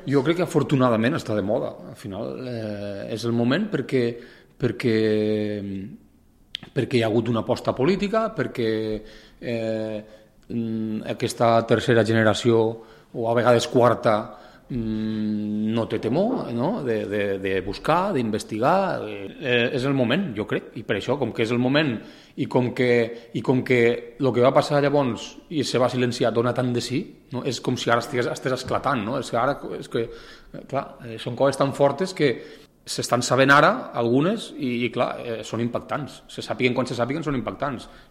Jo crec que afortunadament està de moda. Al final és el moment perquè hi ha hagut una aposta política, perquè aquesta tercera generació, o a vegades quarta, no té temor, no? De buscar, d'investigar. És el moment, jo crec, i per això, com que és el moment i com que el que va passar llavors i se va silenciar dona tant de sí, no? És com si ara estigués esclatant, no? És que clar, són coses tan fortes que s'estan sabent ara algunes i clar, són impactants. Se sàpiguen quan se sàpiguen, són impactants.